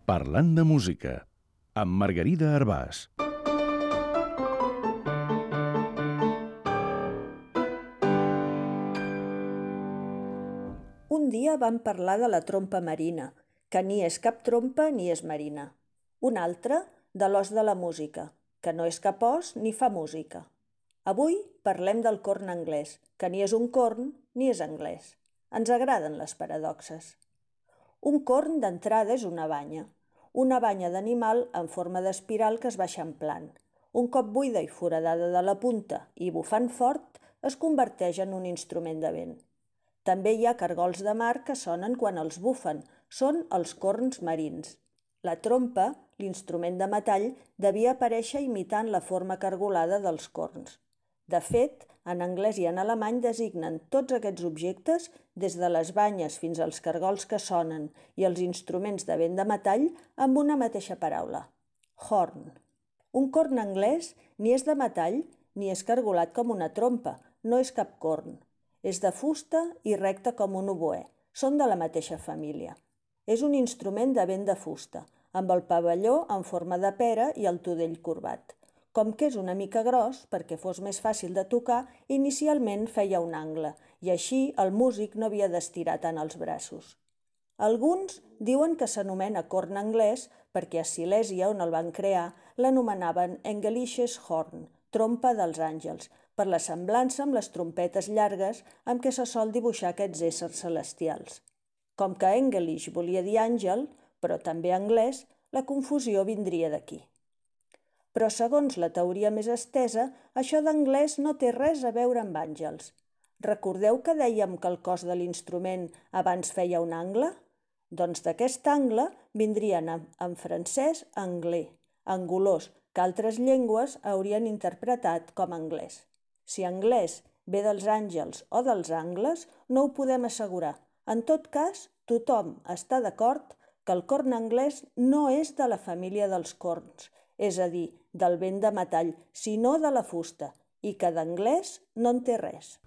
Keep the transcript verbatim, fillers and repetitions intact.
Parlant de música, amb Margarida Arbàs. Un dia vam parlar de la trompa marina, que ni és cap trompa ni és marina. Un altre, de l'os de la música, que no és cap os ni fa música. Avui parlem del corn anglès, que ni és un corn ni és anglès. Ens agraden les paradoxes. Un corn d'entrada és una banya, una banya d'animal en forma d'espiral que es va eixamplant. Un cop buida i foradada de la punta i bufant fort, es converteix en un instrument de vent. També hi ha cargols de mar que sonen quan els bufen, són els corns marins. La trompa, l'instrument de metall, devia aparèixer imitant la forma cargolada dels corns. De fet, en anglès i en alemany designen tots aquests objectes, des de les banyes fins als cargols que sonen i els instruments de vent de metall, amb una mateixa paraula: horn. Un corn anglès ni és de metall ni és cargolat com una trompa, no és cap corn. És de fusta i recte com un oboè, són de la mateixa família. És un instrument de vent de fusta, amb el pavelló en forma de pera i el tudell corbat. Com que és una mica gros, perquè fos més fàcil de tocar, inicialment feia un angle, i així el músic no havia d'estirar tant els braços. Alguns diuen que s'anomena corn anglès perquè a Silèsia, on el van crear, l'anomenaven Englisches Horn, trompa dels àngels, per la semblança amb les trompetes llargues amb què se sol dibuixar aquests éssers celestials. Com que English volia dir àngel, però també anglès, la confusió vindria d'aquí. Però segons la teoria més estesa, això d'anglès no té res a veure amb àngels. Recordeu que dèiem que el cos de l'instrument abans feia un angle? Doncs d'aquest angle vindrien en francès anglais, angulós, que altres llengües haurien interpretat com anglès. Si anglès ve dels àngels o dels angles, no ho podem assegurar. En tot cas, tothom està d'acord que el corn anglès no és de la família dels corns, és a dir, del vent de metall, sinó de la fusta, i que d'anglès no en té res.